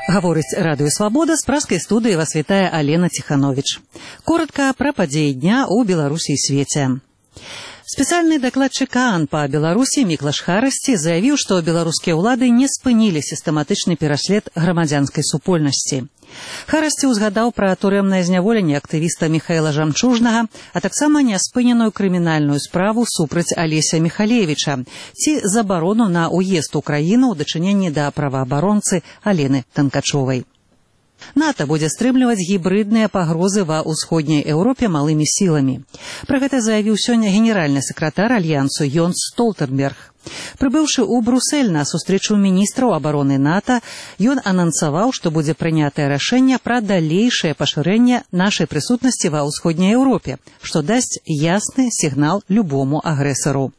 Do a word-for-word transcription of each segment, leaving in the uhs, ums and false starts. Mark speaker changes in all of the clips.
Speaker 1: Гаворыць радыё «Свабода», з праскай студыі вас вітае Алена Ціхановіч. Коротка пра падзеі дня ў Беларусі і свеце. Спецыяльны дакладчык ААН па Беларусі Міклаш Харасці заявіў, што беларускія ўлады не спынілі сістэматычны пераслед грамадзянскай супольнасці. Харасці ўзгадаў пра турэмнае зняволенне актывіста Міхаіла Жамчужнага, а таксама няспыненую крымінальную справу супраць Алеся Міхалевіча ці забарону на ўезд у краіну ў дачыненні да праваабаронцы Алены Танкачовай. НАТО будзе стрымліваць гібрыдныя пагрозы ва ўсходняй Еўропе малымі сіламі. Пра гэта заявіў сёння генеральны сакратар альянсу Йонс Столтенберг. Прыбыўшы ў Брусэль на сустрэчу міністраў абароны НАТО, ён анансаваў, што будзе прынятае рашэнне пра далейшае пашырэнне нашай прысутнасці ва ўсходняй Еўропе, што дасць ясны сігнал любому агрэсару.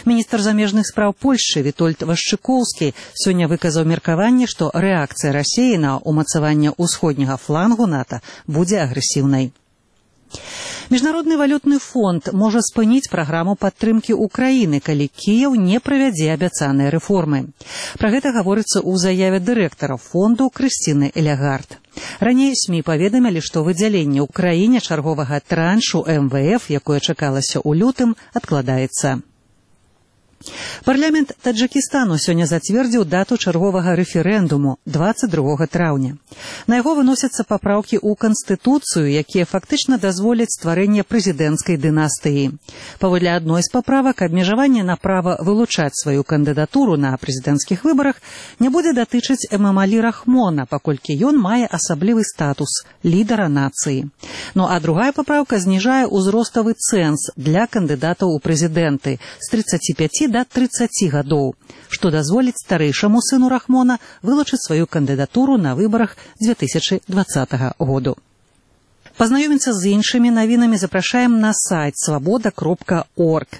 Speaker 1: Міністр замежных спраў Польшчы Вітольд Вашчыкоўскі сёння выказаў меркаванне, што рэакцыя Расіі на ўмацаванне ўсходняга флангу НАТО будзе агрэсіўнай. Міжнародны валютны фонд можа спыніць праграму падтрымкі ўкраіны, калі Кіеў не правядзе абяцаныя рэформы. Пра гэта гаворыцца ў заяве дырэктара фонду Крысціны Элягард. Раней СМІ паведамілі, што выдзяленне ўкраіне чарговага траншу эм вэ эф, якое чакалася ў лютым, адкладаецца. Парламент Таджыкістану сёння зацвердзіў дату чарговага рэферэндуму дваццаць другога траўня. На яго выносяцца папраўкі ў Канстытуцыю, якія фактычна дазволяць стварэнне прэзідэнцкай дынастыі. Паводле адной з паправак, абмежаванне на права вылучаць сваю кандыдатуру на прэзідэнцкіх выбарах не будзе датычыць Эмамалі Рахмона, паколькі ён мае асаблівы статус лідара нацыі. Ну а другая папраўка зніжае ўзроставы цэнз для кандыдатаў у прэзідэнты з трыццаці пяці да трыццаці гадоў, што дазволіць старэйшаму сыну Рахмона вылучыць сваю кандыдатуру на выбарах дзве тысячы дваццатага году. Пазнаёміцца з іншымі навінамі запрашаем на сайт свабода кропка орг.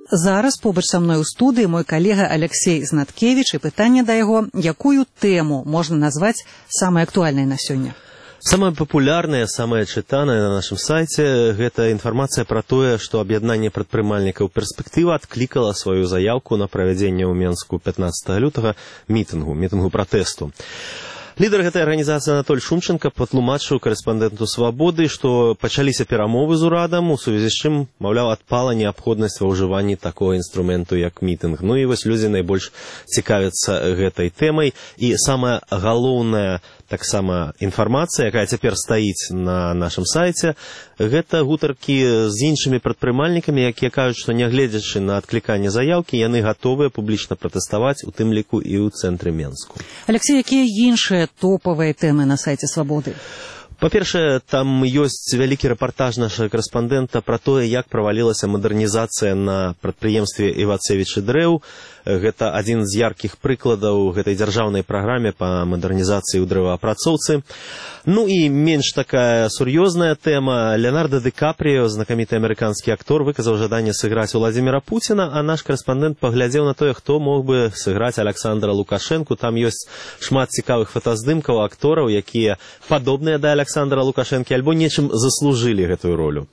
Speaker 1: Зараз побач са мной у студыі мой калега Алексей Знаткевіч, і пытанне да яго, якую тэму можна назваць самай актуальнай на сёння?
Speaker 2: Самая папулярная, самая чытаная на нашым сайце – гэта інфармацыя пра тое, што аб'яднанне прадпрымальнікаў «Перспектыва» адклікала сваю заяўку на правядзенне ў Менску пятнаццатага лютага мітынгу, мітынгу пратэсту. Лідар гэтай арганізацыі Анатоль Шумченко патлумачыў корэспандэнту «Свабоды», што пачаліся перамовы з урадам, у сувязі з чым, маўляў, адпала неабходнасць ва ўжыванні такога інструменту, як мітынг. Ну і вось людзі найбольш цікавяцца гэтай тэмай. І самая галоўная таксама інфармацыя, якая цяпер стаіць на нашым сайце, гэта гутаркі з іншымі прадпрымальнікамі, якія кажуць, што нягледзячы на адкліканне заяўкі, яны гатовыя публічна пратэставаць, у тым ліку і ў цэнтры Менску.
Speaker 1: Алексей, якія іншыя топавыя тэмы на сайце «Свабоды»?
Speaker 2: Па-першае, там ёсць вялікі рэпартаж нашага корэспандэнта пра тое, як правалілася мадэрнізацыя на прадпрыемстве Івацевіч і Дрэў. Гэта адзін з яркіх прыкладаў гэтай дзяржаўнай праграме па мадэрнізацыі ў дрэваапрацоўцы. Ну і менш такая сур'ёзная тэма. Леонардо Ді Капріо, знакаміты амерыканскі актор, выказаў жаданне сыграць Уладзіміра Пуціна, а наш корэспандэнт паглядзеў на тое, хто мог бы сыграць Аляксандра Лукашэнку. Там ёсць шмат цікавых фотаздымкаў актораў, якія падобныя да Аляксандра Лукашэнкі альбо нечым заслужылі гэтую ролю.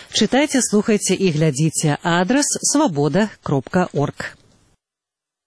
Speaker 1: Чытайце, слухайце і глядзіце. Адрас свабода кропка орг.